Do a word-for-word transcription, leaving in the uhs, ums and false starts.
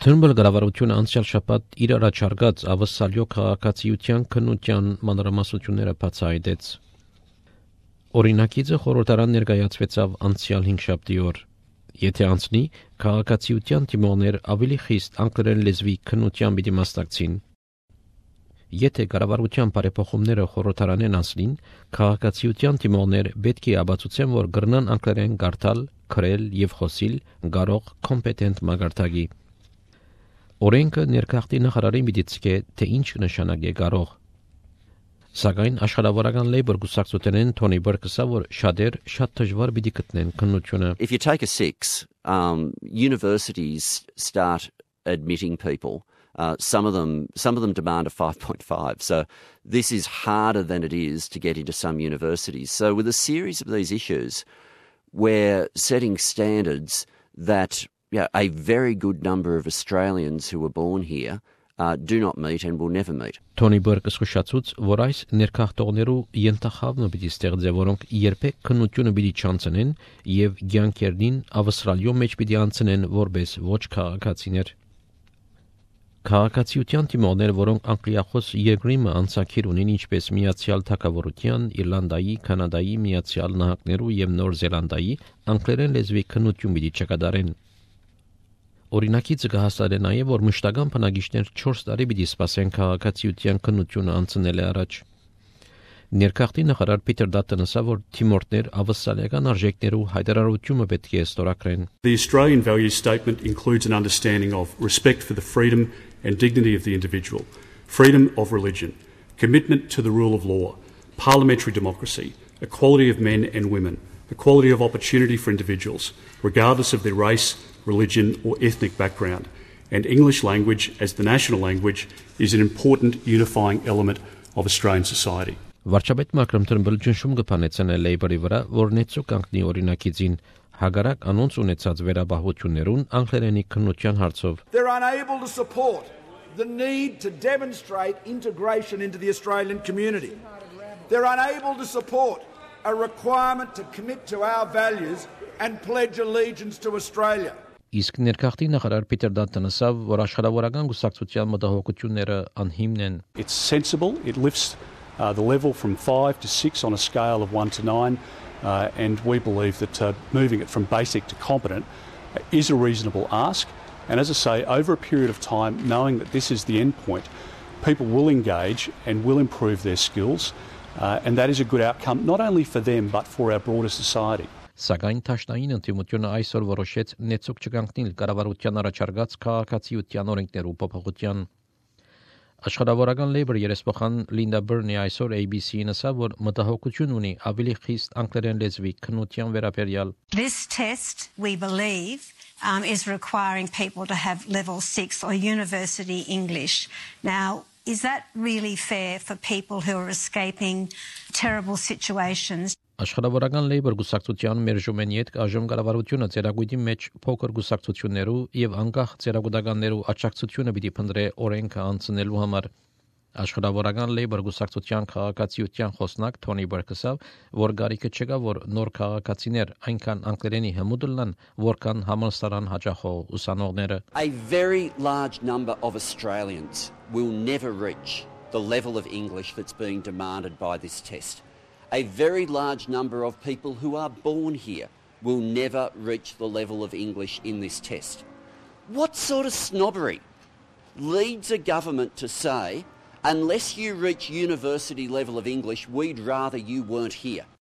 Թուրմբել կառավարությունը անցյալ շաբաթ իր առաջարկած ավսալյո քաղաքացիության քննության մանրամասնությունները բացահայտեց։ Օրինակիցը խորհրդարան ներկայացվեցավ անցյալ հինգշաբթի օր։ Եթե անցնի, քաղաքացիության թիմողներ ավելի խիստ անգլերեն լեզվի քննության պիտի մասնակցին։ Եթե կառավարության բարեփոխումները խորհրդարանեն անցնին, քաղաքացիության թիմողներ պետք է ապացուցեն, որ կրնան անգլերեն կարդալ, գրել եւ խոսել կարող կոմպետենտ մագարտագի։ Օրենքը ներքախտի նախարարին պիտի ցկե, թե ինչ նշանակե կարող։ Սակայն աշխատավորական Labour գուսակցությունեն Թոնի Բերկսը որ շատեր շատ դժվար պիտի գտնեն քննությունը։ If you take a six, um, universities start admitting people. Uh, some of them, some of them demand a five point five. So this is harder than it is to get into some universities. So with a series of these issues, we're setting standards that yeah, a very good number of Australians who were born here uh, do not meet and will never meet. Թոնի Բերկսը շուշացուց, որ այս ներքախտողներու ենթախավնը պիտի ստեղծե, որոնք երբեք քննությունը պիտի չանցնեն եւ ցանկերին ավստրալիո մեջ պիտի անցնեն որպես ոչ քաղաքացիներ։ Քաղաքացիության թիմողներ, որոնք անգլիախոս երկրի անցակիր ունեն ինչպես Միացյալ Թագավորության, Իռլանդայի, Կանադայի, Միացյալ Նահանգներու եւ Նոր Զելանդիայի անգլերեն լեզվի քննություն պիտի չկատարեն։ Օրինակիցը կհաստատե նաև, որ մշտական բնակիչներ չորս տարի պիտի սպասեն քաղաքացիության քննությունը անցնել առաջ։ Ներքախտի նախարար Պիտեր Դատտոնը ասա, որ թիմորդներ ավստրալիական արժեքներու հայտարարությունը պետք է ստորագրեն։ The Australian Values Statement includes an understanding of respect for the freedom and dignity of the individual, freedom of religion, commitment to the rule of law, parliamentary democracy, equality of men and women, equality of opportunity for individuals, regardless of their race, religion or ethnic background, and English language as the national language is an important unifying element of Australian society. Վարչապետ Մակրոն Թուրմբել ճնշում կփանեցնե Labour-ի վրա, որ նեցու կանգնի օրինակիցին հագարակ անոնց ունեցած վերաբահություններուն անգլերենի քննության հարցով։ They're unable to support the need to demonstrate integration into the Australian community. They're unable to support a requirement to commit to our values and pledge allegiance to Australia. Իսկ ներքախտի նախարար Պիտեր Դատտոնը ասա, որ աշխատավորական գուսակցության մտահոգությունները անհիմն են։ It's sensible, it lifts uh, the level from five to six on a scale of one to nine. Uh, and we believe that uh, moving it from basic to competent is a reasonable ask. And as I say, over a period of time, knowing that this is the end point, people will engage and will improve their skills. Uh, and that is a good outcome, not only for them, but for our broader society. Սակայն Թաշնային ընդդիմությունը այսօր որոշեց նեցուկ չկանգնել կառավարության առաջարկած քաղաքացիության օրենքներու փոփոխության։ Աշխատավորական Labour երեսփոխան Լինդա Բերնի այսօր A B C-ին ասա, որ մտահոգություն ունի ավելի խիստ անգլերեն լեզվի քննության վերաբերյալ։ This test, we believe, um, is requiring people to have level six or university English. Now, is that really fair for people who are escaping terrible situations? Աշխատավորական Labour գուսակցության մերժումեն յետ այժմ կառավարությունը ծերագույտի մեջ փոքր գուսակցություններու եւ անկախ ծերագուտականներու աջակցությունը պիտի փնտրե օրենքը անցնելու համար։ Աշխատավորական Labour գուսակցության քաղաքացիության խոսնակ Թոնի Բերկսը, որ գարիկը չկա, որ նոր քաղաքացիներ այնքան անգլերենի հմուդլան, որքան համալսարան հաճախող ուսանողները։ A very large number of Australians will never reach the level of English that's being demanded by this test. A very large number of people who are born here will never reach the level of English in this test. What sort of snobbery leads a government to say, unless you reach university level of English, we'd rather you weren't here?